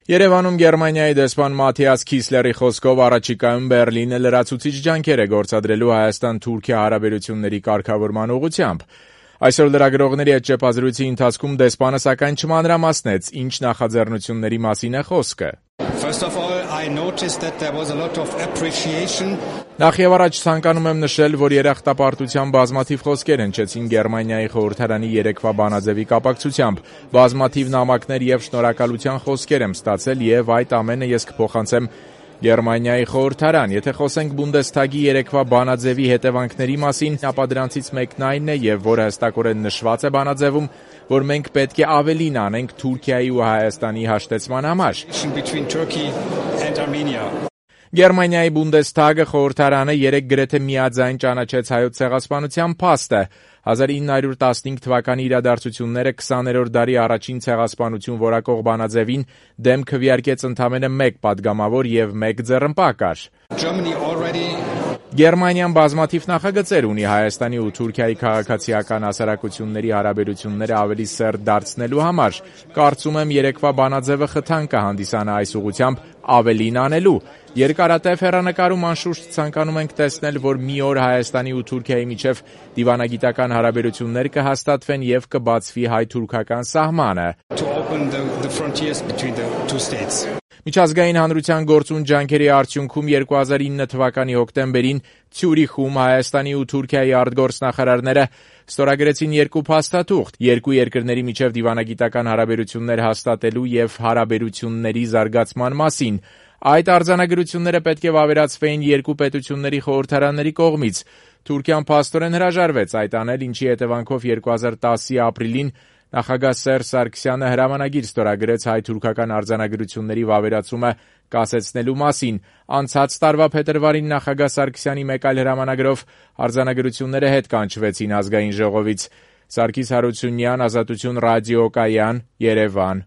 Երևանում Գերմանիայի դեսպան Մաթիաս Քիսլերի խոսքով առաջիկայում Բեռլինը լրացուցիչ ջանքեր է գործադրելու Հայաստան-Թուրքիա հարաբերությունների կարգավորման ուղղությամբ։ Այսօր լրագրողների հետ ճեպազրույցի ընթացքում դեսպանը սակայն չմանրամասնեց, ինչ նախաձեռնությունների մասին է խոսքը։ Նախ եւ առաջ ցանկանում եմ նշել, որ երախտապարտության բազմաթիվ խոսքեր հնչեցին Գերմանիայի խորհրդարանի երեկվա բանաձևի կապակցությամբ։ Բազմաթիվ նամակներ եւ շնորհակալության խոսքեր եմ ստացել եւ այդ ամենը ես կփոխանցեմ Գերմանիայի խորհրդարան։ Եթե խոսենք Բունդեսթագի երեկվա բանաձևի հետևանքների մասին, ապա դրանցից մեկն այն է եւ որը հստակորեն նշված է բանաձևում, որ մենք պետք է ավելին անենք Թուրքիայի ու Հայաստանի հաշտեցման համար։ Գերմանիայի Բունդեսթագը խորհրդարանը երեկ գրեթե միաձայն ճանաչեց հայոց ցեղասպանության փաստը։ 1915 թվականի իրադարձությունները 20-րդ դարի առաջին ցեղասպանություն որակող բանաձևին դեմ քվեարկեց ընդամենը մեկ падգամավոր եւ մեկ ձեռնպահ կար։ Գերմանիան բազմաթիվ նախագծեր ունի Հայաստանի ու Թուրքիայի քաղաքացիական հասարակությունների հարաբերությունները ավելի սերտ դարձնելու համար։ Կարծում եմ երեկվա բանաձևը խթան կհանդիսանա այս ուղղությամբ ավելին անելու։ Երկարատև հեռանկարում անշուշտ ցանկանում ենք տեսնել, որ մի օր Հայաստանի ու Թուրքիայի միջև դիվանագիտական հարաբերություններ կհաստատվեն եւ կբացվի հայ-թուրքական սահմանը։ Միջազգային հանրության գործուն ջանքերի արդյունքում 2009 թվականի հոկտեմբերին Ցյուրիխում Հայաստանի ու Թուրքիայի արտգործնախարարները ստորագրեցին երկու փաստաթուղթ՝ երկու երկրների միջև դիվանագիտական հարաբերություններ հաստատելու եւ հարաբերությունների զարգացման մասին։ Այդ արձանագրությունները պետք է վավերացվեին երկու պետությունների խորհրդարանների կողմից։ Թուրքիան փաստորեն հրաժարվեց այդ անել, ինչի հետևանքով 2010-ի ապրիլին նախագահ Սերժ Սարգսյանը հրամանագիր ստորագրեց հայ-թուրքական արձանագրությունների վավերացումը կասեցնելու մասին։ Անցած տարվա փետրվարին նախագահ Սարգսյանի մեկ այլ հրամանագրով արձանագրությունները հետ կանչվեցին ազգային ժողովից։ Սարգիս Հարությունյան, Ազատություն ռադիոկայան, Երևան։